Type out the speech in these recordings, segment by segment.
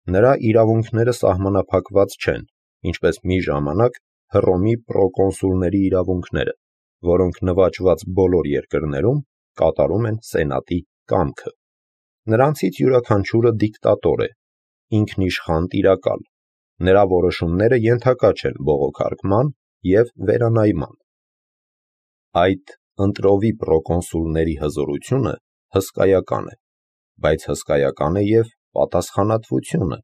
Նրա իրավունքները սահմանափակված չեն, ինչպես մի ժամանակ Հռոմի պրոկոնսուլների իրավունքները, որոնք նվաճված բոլոր երկրներում կատարում են սենատի կամքը։ Նրանցից յուրաքանչյուրը դիկտատոր է, ինքնիշխան տիրակալ, նրա որոշումները ենթակա չեն բողոքարկման և վերանայման։ Այդ ընտրովի պրոկոնսուլների հզորությունը հսկայական է, բայց հսկայական է և պատասխանատվությունը։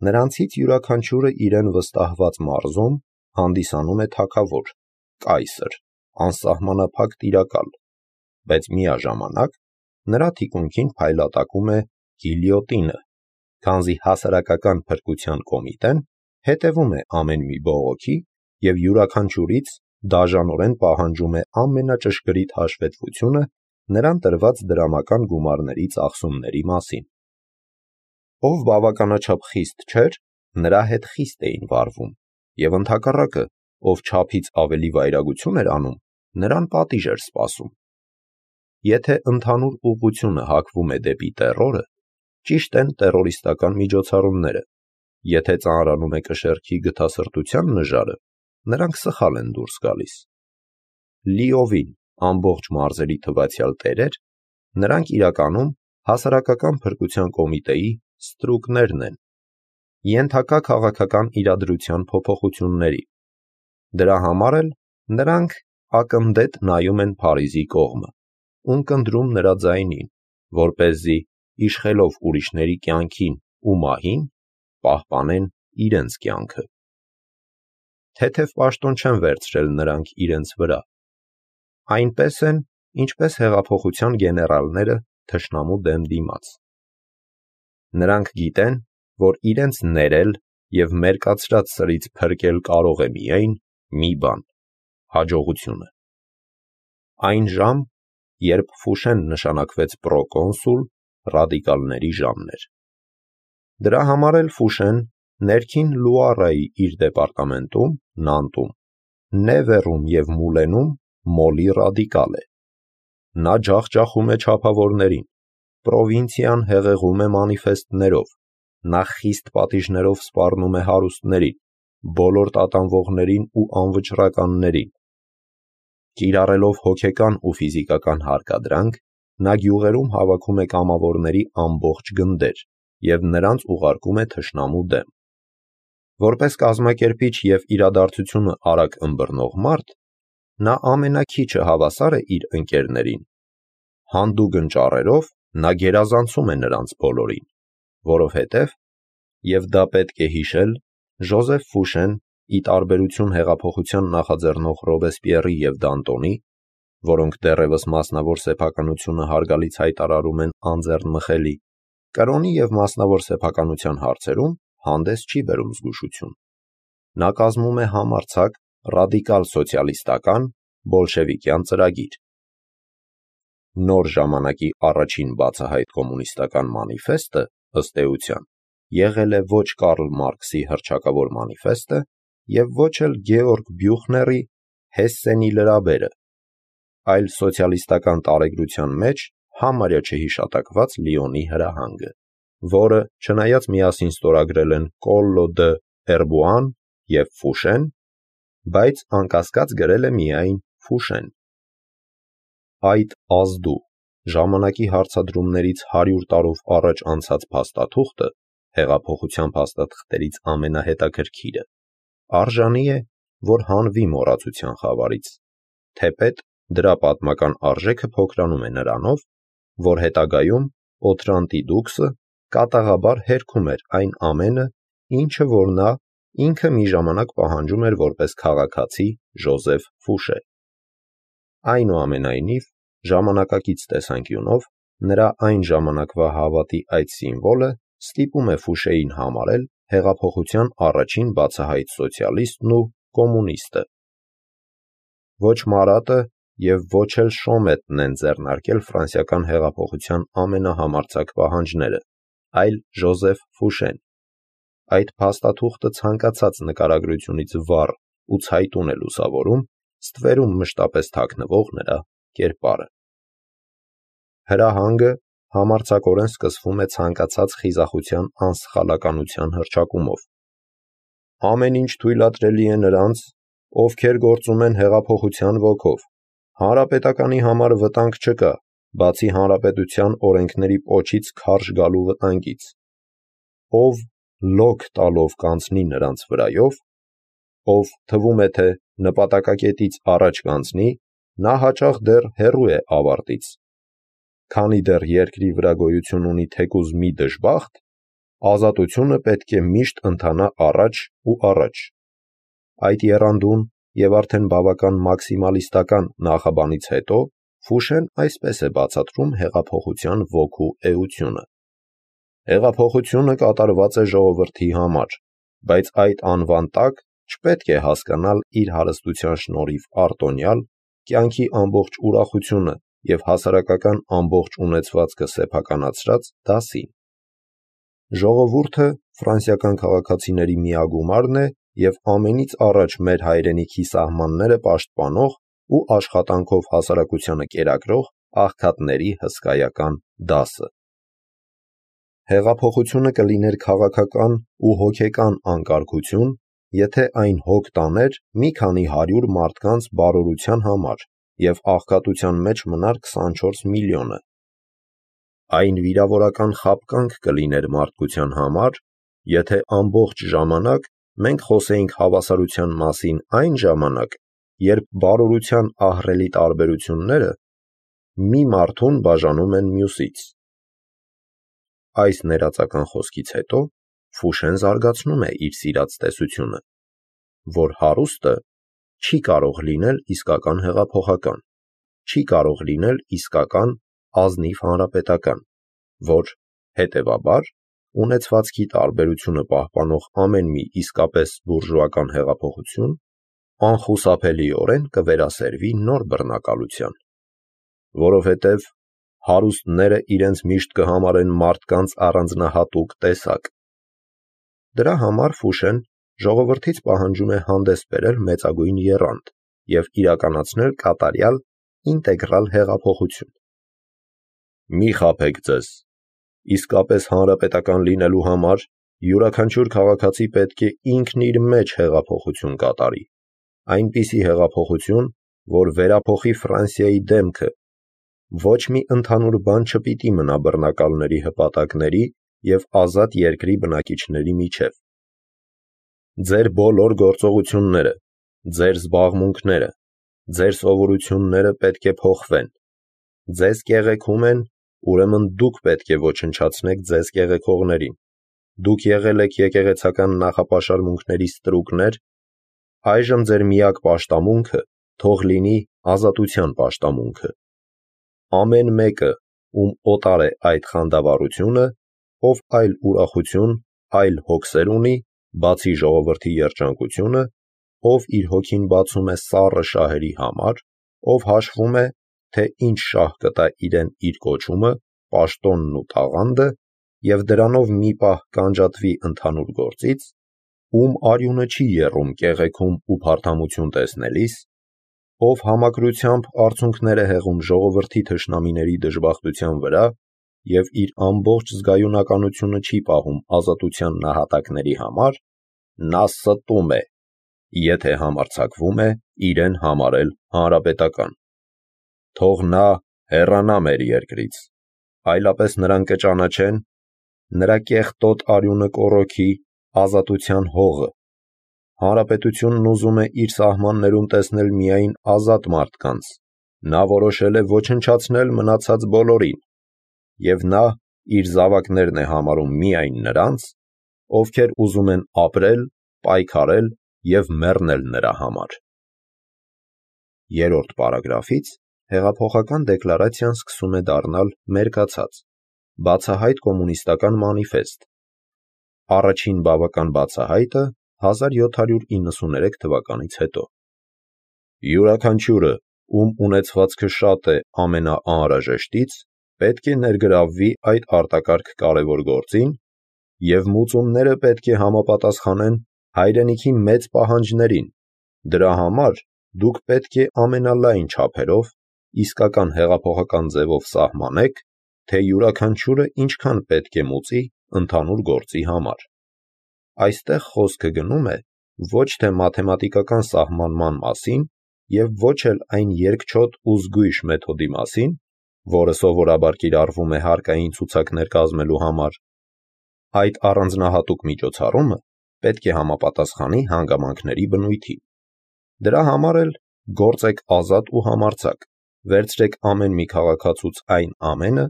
Նրանցից յուրաքանչյուրը իրեն վստահված մարզում հանդիսանում է թագավոր, կայսր, անսահմանափակ տիրակալ, բայց միաժամանակ նրա թիկունքին փայլատակում է գիլյոտինը, քանզի հասարակական փրկության կոմիտեն հետևում է ամեն մի բողոքի և յուրաքանչյուրից դաժանորեն պահանջում է ամենաճշգրիտ հաշվետվությունը նրան տրված դրամական գումարների ծախսումների մասին։ Ով բավականաչափ խիստ չէր, նրա հետ խիստ էին վարվում, և ընդհակառակը, ով չափից ավելի վայրագություն էր անում, նրան պատիժ էր սպասում։ Եթե ընդհանուր ուղղությունը հակվում է դեպի տեռորը, ճիշտ են տեռորիստական միջոցառումները, եթե ծանրանում է կշեռքի գթասրտության նժարը, նրանք սխալ են դուրս գալիս։ Լիովին ամբողջ մարզերի թվացյալ տերեր, նրանք իրականում հասարակական փրկության կոմիտեի ստրուկներն են, ենթակա քաղաքական իրադրության փոփոխությունների։ Դրա համար էլ նրանք ակնդետ նայում են Փարիզի կողմը, ունկնդրում նրա ձայնին, որպեսզի իշխելով ուրիշների կյանքին ու մահին, պահպանեն իրենց կյանքը։ Թեթև պաշտոն չեն վերցրել նրանք իրենց վրա։ Այնպես են, ինչպես հեղափոխության գեներալները թշնամու դեմ դիմաց։ Նրանք գիտեն, որ իրենց ներել և մերկացրած սրից փրկել կարող է միայն մի բան՝ հաջողությունը։ Այն ժամ, երբ Ֆուշեն նշանակվեց պրոկոնսուլ, ռադիկալների ժամն էր։ Դրա համար էլ Ֆուշեն ներքին Լուարայի իր դեպարտամենտում՝ Նանտում, Նևեռում և Մուլենում մոլի ռադիկալ է։ Նա ջախջախում է չափավորներին, պրովինցիան հեղեղում է մանիֆեստներով, նա խիստ պատիժներով սպառնում է հարուստներին, բոլոր տատանվողներին ու անվճռականներին։ Կիրառելով հոգեկան ու ֆիզիկական հարկադրանք, նա գյուղերում հավաքում է կամավորների ամբողջ գնդեր և նրանց ուղարկում է թշնամու դեմ։ Որպես կազմակերպիչ և իրադարձությունը արագ ըմբռնող մարդ, նա ամենաքիչը հավասար է իր ընկերներին։ Հանդուգն ճառերով նա գերազանցում է նրանց բոլորին, որովհետև, և դա պետք է հիշել, Ժոզեֆ Ֆուշեն, ի տարբերություն հեղափոխության նախաձեռնող Ռոբեսպիեռի և Դանտոնի, որոնք դեռևս մասնավոր սեփականությունը հարգալից հայտարարում են անձեռնմխելի, կրոնի և մասնավոր սեփականության հարցերում հանդես չի բերում զգուշություն։ Նա կազմում է համարձակ ռադիկալ սոցիալիստական բոլշևիկյան ծրագիր։ Նոր ժամանակի առաջին բացահայտ կոմունիստական մանիֆեստը, ըստ էության, եղել է ոչ Կարլ Մարքսի հռչակավոր մանիֆեստը և ոչ էլ Գեորգ Բյուխների Հեսսենի լրաբերը, այլ սոցիալիստական տարեգրության մեջ համարյա չհիշատակված Լիոնի հրահանգը, որը, չնայած միասին ստորագրել են Կոլլո դը Էրբուան և Ֆուշեն, բայց անկասկած գրել է միայն Ֆուշեն։ Այդ ազդու, ժամանակի հարցադրումներից 100 տարով առաջ անցած փաստաթուղթը, հեղափոխության փաստաթղթերից ամենահետաքրքիրը, արժանի է, որ հանվի մոռացության խավարից, թեպետ դրա պատմական արժեքը փոքրանում է նրանով, որ հետագայում Օթրանտի դուքսը կատաղաբար հերքում էր այն ամենը, ինչը որ նա ինքը մի ժամանակ պահանջում էր որպես քաղաքացի Ժոզեֆ Ֆուշե։ Այնուամենայնիվ, ժամանակակից տեսանկյունով, նրա այն ժամանակվա հավատի այդ սիմվոլը ստիպում է Ֆուշեին համարել հեղափոխության առաջին բացահայտ սոցիալիստն ու կոմունիստը։ Ոչ Մարատը և ոչ էլ Շոմետն են ձեռնարկել ֆրանսիական հեղափոխության ամենահամարձակ պահանջները, այլ Ժոզեֆ Ֆուշեն։ Այդ փաստաթուղթը ցանկացած նկարագրությունից վառ ու ցայտուն է լուսավորում ստվերում մշտապես թաքնվող նրա կերպարը։ Հրահանգը համարձակորեն սկսվում է ցանկացած խիզախության անսխալականության հռչակումով։ Ամեն ինչ թույլատրելի է նրանց, ովքեր գործում են հեղափոխության ոգով։ Հանրապետականի համար վտանգ չկա, բացի հանրապետության օրենքների պոչից քարշ գալու վտանգից։ Ով լոկ տալով կանցնի նրանց վրայով, ով թվում է, թե նպատակակետից առաջ կանցնի, նա հաճախ դեռ հեռու է ավարտից։ Քանի դեռ երկրի վրա գոյություն ունի թեկուզ մի դժբախտ, ազատությունը պետք է միշտ ընթանա առաջ ու առաջ։ Այդ եռանդուն և արդեն բավական մաքսիմալիստական նախաբանից հետո Ֆուշեն այսպես է բացատրում հեղափոխության ոգու էությունը։ Հեղափոխությունը կատարված է ժողովրդի համար, բայց այդ անվան տակ չպետք է հասկանալ իր հարստության շնորհիվ արտոնյալ, կյանքի ամբողջ ուրախությունը և հասարակական ամբողջ ունեցվածքը սեփականացրած դասին։ Ժողովուրդը ֆրանսիական քաղաքացիների միագումարն է և ամենից առաջ մեր հայրենիքի սահմանները պաշտպանող ու աշխատանքով հասարակությանը կերակրող աղքատների հսկայական դասը։ Հեղափոխությունը կլիներ քաղաքական ու հոգեկան անկարգություն, եթե այն հոգ տաներ մի քանի հարյուր մարդկանց բարօրության համար և աղքատության մեջ մնար 24 միլիոնը։ Այն վիրավորական խաբկանք կլիներ մարդկության համար, եթե ամբողջ ժամանակ մենք խոսեինք հավասարության մասին այն ժամանակ, երբ բարօրության ահռելի տարբերությունները մի մարդուն բաժանում են մյուսից։ Այս ներածական խոսքից հետո Ֆուշեն զարգացնում է իր սիրած տեսությունը, որ հարուստը չի կարող լինել իսկական հեղափոխական, չի կարող լինել իսկական ազնիվ հանրապետական, որ, հետևաբար, ունեցվածքի տարբերությունը պահպանող ամեն մի իսկապես բուրժուական հեղափոխություն անխուսափելիորեն կվերասերվի նոր բռնակալության, որովհետև հարուստները իրենց միշտ կհամարեն մարդկանց առանձնահատուկ տեսակ։ Դրա համար Ֆուշեն ժողովրդից պահանջում է հանդես բերել մեծագույն եռանդ և իրականացնել կատարյալ ինտեգրալ հեղափոխություն։ Մի խաբեք ձեզ, իսկապես հանրապետական լինելու համար յուրաքանչյուր քաղաքացի պետք է ինքն իր մեջ հեղափոխություն կատարի, այնպիսի հեղափոխություն, որ վերափոխի Ֆրանսիայի դեմքը, ոչ մի ընդհանուր բան չպիտի մնա բռնակալների հպատակների և ազատ երկրի բնակիչների միջև։ Ձեր բոլոր գործողությունները, ձեր զբաղմունքները, ձեր սովորությունները պետք է փոխվեն։ Ձեզ կեղեքում են, ուրեմն դուք պետք է ոչնչացնեք ձեզ կեղեքողներին։ Դուք եղել եք եկեղեցական նախապաշարմունքների ստրուկներ, այժմ ձեր միակ պաշտամունքը թող լինի ազատության պաշտամունքը։ Ամեն մեկը, ում օտար է այդ խանդավառությունը, ով այլ ուրախություն, այլ հոգսեր ունի, բացի ժողովրդի երջանկությունը, ով իր հոգին բացում է սառը շահերի համար, ով հաշվում է, թե ինչ շահ կտա իրեն իր կոչումը, պաշտոնն ու տաղանդը, և դրանով մի պահ կանջատվի ընդհանուր գործից, ում արյունը չի եռում կեղեքում ու փարթամություն տեսնելիս, ով համակրությամբ արցունքներ է հեղում ժողովրդի թշնամիների դժբախտության վրա և իր ամբողջ զգայունականությունը չի պահում ազատության նահատակների համար, նա ստում է, եթե համարձակվում է իրեն համարել հանրապետական։ Թող նա հեռանա մեր երկրից, այլապես նրան կճանաչեն, նրա կեղտոտ արյունը կոռոքի ազատության հողը։ Հանրապետությունն ուզում է իր սահմաններում տեսնել միայն ազատ մարդկանց, նա որոշել է ոչնչացնել մնացած բոլորին, և նա իր զավակներն է համարում միայն նրանց, ովքեր ուզում են ապրել, պայքարել և մեռնել նրա համար։ Երրորդ պարագրաֆից հեղափոխական դեկլարացիան սկսում է դառնալ մերկացած, բացահայտ կոմունիստական մանիֆեստ։ Առաջին բավական բացահայտը 1793 թվականից հետո։ Յուրաքանչյուրը, ում ունեցվածքը շատ է ամենաանհրաժեշտից, պետք է ներգրավվի այդ արտակարգ կարևոր գործին, և մուծումները պետք է համապատասխանեն հայրենիքի մեծ պահանջներին։ Դրա համար դուք պետք է ամենալայն չափերով իսկական հեղափոխական ձևով սահմանեք թե յուրաքանչյուրը ինչքան պետք է մուծի ընդհանուր գործի համար։ Այստեղ խոսքը գնում է ոչ թե մաթեմատիկական սահմանման մասին և ոչ էլ այն երկչոտ ու զգույշ մեթոդի մասին, որը սովորաբար կիրառվում է հարկային ցուցակներ կազմելու համար։ Այդ առանձնահատուկ միջոցառումը պետք է համապատասխանի հանգամանքների բնույթին։ Դրա համար էլ գործեք ազատ ու համարձակ, վերցրեք ամեն մի քաղաքացուց այն ամենը,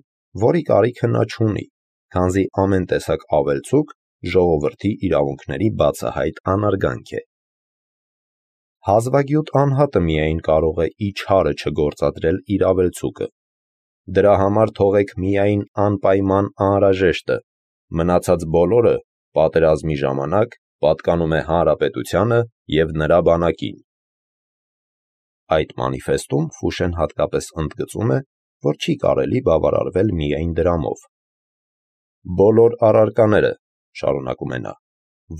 որի կարիքը նա չունի, քանզի ամեն տեսակ ավելցուկ ժողովրդի իրավունքների բացահայտ անարգանք է։ Հազվագյուտ անհատը միայն կարող է իչհարը չգործադրել իր ավելցուկը։ Դրա համար թողեք միայն անպայման անհրաժեշտը, մնացած բոլորը պատերազմի ժամանակ պատկանում է հանրապետությանը և նրա բանակին։ Այդ մանիֆեստում Ֆուշեն հատկապես ընդգծում է, որ չի կարելի բավարարվել միայն դրամով։ Բոլոր առարկաները, շարունակում է նա,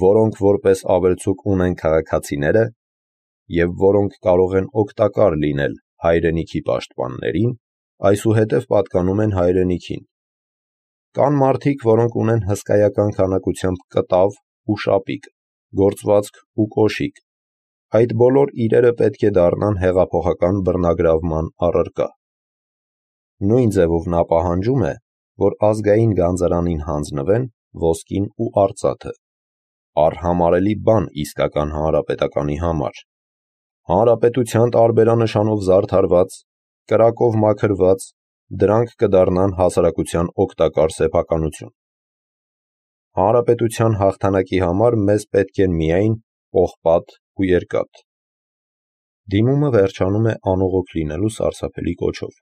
որոնք որպես ավելցուկ ունեն քաղաքացիները և որոնք կարող են օգտակար լինել հայրենիքի պաշտպաններին, այսուհետև պատկանում են հայրենիքին։ Կան մարդիկ, որոնք ունեն հսկայական քանակությամբ կտավ ու շապիկ, գործվածք ու կոշիկ։ Այդ բոլոր իրերը պետք է դառնան հեղափոխական բռնագրավման առարկա։ Նույն ձևով նա պահանջում է, որ ազգային գանձարանին հանձնվեն ոսկին ու արծաթը, արհամարելի բան իսկական հանրապետականի համար, հանրապետության տարբերանշանով զարդարված, կրակով մաքրված, դրանք կդառնան հասարակության օգտակար սեփականություն։ Հանրապետության հաղթանակի համար մեզ պետք են միայն պողպատ ու երկաթ։ Դիմումը վերջանում է անողոք լինելու սարսափելի կոչով։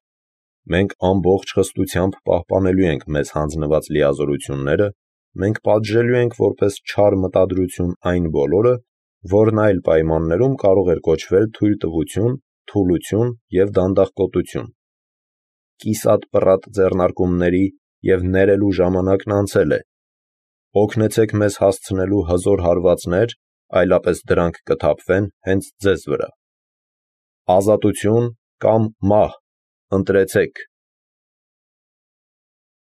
Մենք ամբողջ խստությամբ պահպանելու ենք մեզ հանձնված լիազորությունները, մենք պատժելու ենք որպես չար մտադրություն այն բոլորը, որն այլ պայմաններում կարող էր կոչվել թույլտվություն, թուլություն և դանդաղկոտություն։ Կիսատ պռատ ձեռնարկումների և ներելու ժամանակն անցել է։ Օգնեցեք մեզ հասցնելու հզոր հարվածներ, այլապես դրանք կթափվեն հենց ձեզ վրա։ Ազատություն կամ մահ, ընտրեցեք։